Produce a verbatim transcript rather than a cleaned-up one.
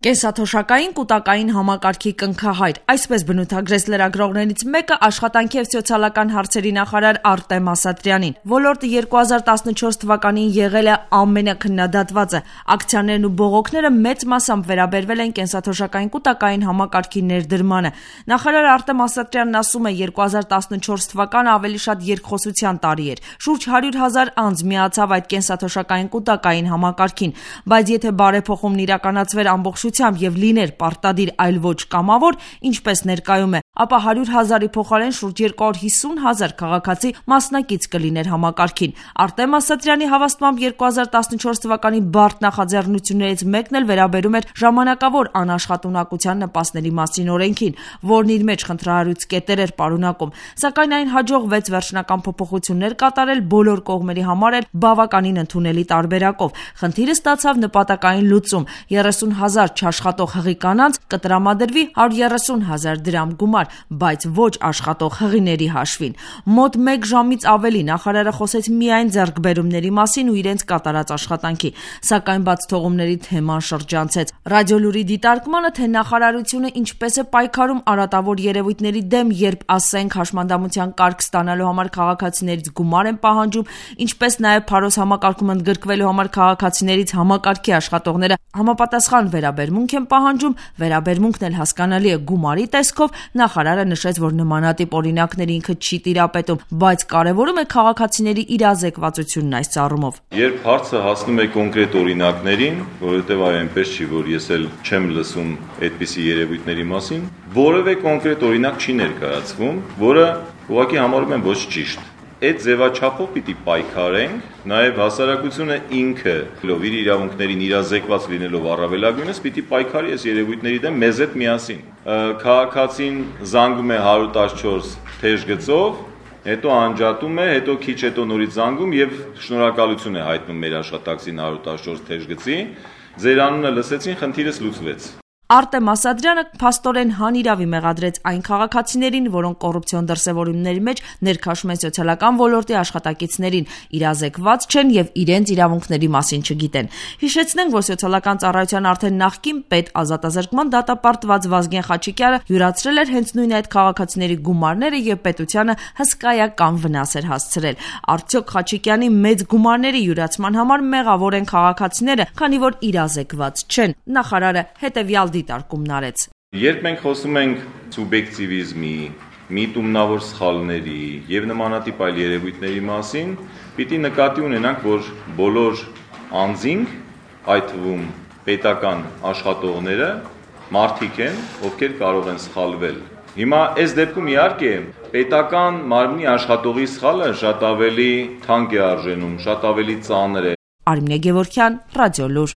Կենսաթոշակային կուտակային համակարգի կնքահայր, այսպես բնութագրեց լրագրողներից մեկը աշխատանքի և սոցիալական հարցերի նախարար Արտեմ Ասատրյանին։ Ոլորտը երկու հազար տասնչորս թվականին եղել է ամենաքննադատվածը։ Ակցիաներն ու բողոքները մեծ մասամբ վերաբերվել են կենսաթոշակային կուտակային համակարգի ներդրմանը։ Նախարար Արտեմ Ասատրյանն ասում է, երկու հազար տասնչորս թվականը ավելի շատ երկխոսության տարի էր։ Շուրջ հարյուր հազար անձ միացավ այդ կենսաթոշակային կուտակային համակարգին, բայց եթե բարեփոխումն իրականացվեր ամբողջությամբ եւ լիներ պարտադիր, այլ ոչ կամավոր, ինչպես ներկայում է, ապա հարյուր հազարի փոխարեն շուրջ երկու հարյուր հիսուն հազար քաղաքացի մասնակից կլիներ համակարգին։ Արտեմ Ասատրյանի հավաստմամբ երկու հազար տասնչորս թվականի բարդ նախաձեռնություններից մեկն էլ վերաբերում էր ժամանակավոր անաշխատունակության նպաստների մասին օրենքին, որն իր մեջ խնդրահարույց կետեր էր պարունակում, սակայն այն հաջողվեց վերջնական փոփոխություններ կատարել բոլոր կողմերի համար էլ բավականին ընդունելի տարբերակով։ Խնդիրը ստացավ նպատակային լուծում՝ երեսուն հազար չաշխատող հղի կանանց կտրամադրվի հարյուր երեսուն հազար դրամ գումար, բայց ոչ աշխատող հղիների հաշվին։ Մոտ մեկ ժամից ավելի նախարարը խոսեց միայն ձեռքբերումների մասին ու իրենց կատարած աշխատանքի, սակայն բաց թողումների թեման շրջանցեց։ Ռադիոլուրի դիտարկմանը, թե նախարարությունը ինչպես է պայքարում արատավոր երևույթների դեմ, երբ, ասենք, հաշմանդամության կարգ ստանալու համար քաղաքացիներից գումար են պահանջում, ինչպես նաև Փարոս համակարգում ընդգրկվելու համար քաղաքացիներից համակարգի աշխատողները համապատասխան վերաբերմունք են պահանջում, վերաբերմունքն էլ հասկանալի է գումարի տեսքով, նախարարը նշեց, որ նմանատիպ օրինակների ինքը չի տիրապետում, բայց կարևորում է քաղաքացիների իրազեկվածությունն այս առումով։ Երբ հարցը հասնում է կոնկրետ օրինակներին, որովհետև այ այնպես չի, որ ես էլ չեմ լսում այդպիսի երևույթների մասին, որևէ կոնկրետ օրինակ չի ներկայացվում, որը ուղղակի համարում եմ ոչ ճիշտ։ Այդ ձևաչափով պիտի պայքարենք, նաև հասարակությունը ինքը իր իրավունքներին իրազեկված լինելով առավելագույնս պիտի պայքարի այս երևույթների դեմ մեզ հետ միասին։ Քաղաքացին զանգում է հարյուր տասնչորս թեժ գծով, հետո անջատում է, հետո քիչ հետո նորից զանգում եւ շնորհակալություն է հայտնում մեր աշխատակցին հարյուր տասնչորս թեժ գծի։ Ձեր անունը լսեցին, խնդիրս լուծվեց։ Արտեմ Ասատրյանը փաստորեն հանիրավի մեղադրեց այն քաղաքացիներին, որոնք կոռուպցիոն դրսևորումների մեջ ներքաշում են սոցիալական ոլորտի աշխատակիցներին, իրազեկված չեն եւ իրենց իրավունքների մասին չգիտեն։ Հիշեցնենք, որ սոցիալական ծառայության արդեն նախկին պետ ազատազրկման դատապարտված Վազգեն Խաչիկյանը յուրացրել էր հենց նույն այդ քաղաքացիների գումարները եւ պետությանը հսկայական վնաս էր հասցրել։ Արդյոք Խաչիկյանի մեծ գումարների յուրացման համար մեղավոր են քաղաքացիները, քանի որ իրազեկված չեն։ Նախարարը հետեւյալ դիտարկումն արեց։ Երբ մենք խոսում ենք սուբյեկտիվիզմի, միտումնավոր սխալների եւ նմանատիպ այլ երևույթների մասին, պիտի նկատի ունենանք, որ բոլոր անձինք, այդ թվում պետական աշխատողները, մարդիկ են, ովքեր կարող են սխալվել։ Հիմա այս դեպքում իհարկե պետական մարմնի աշխատողի սխալը շատ ավելի թանկ է արժենում, շատ ավելի ծանր է։ Արմինե Գևորգյան, Ռադիոլուր։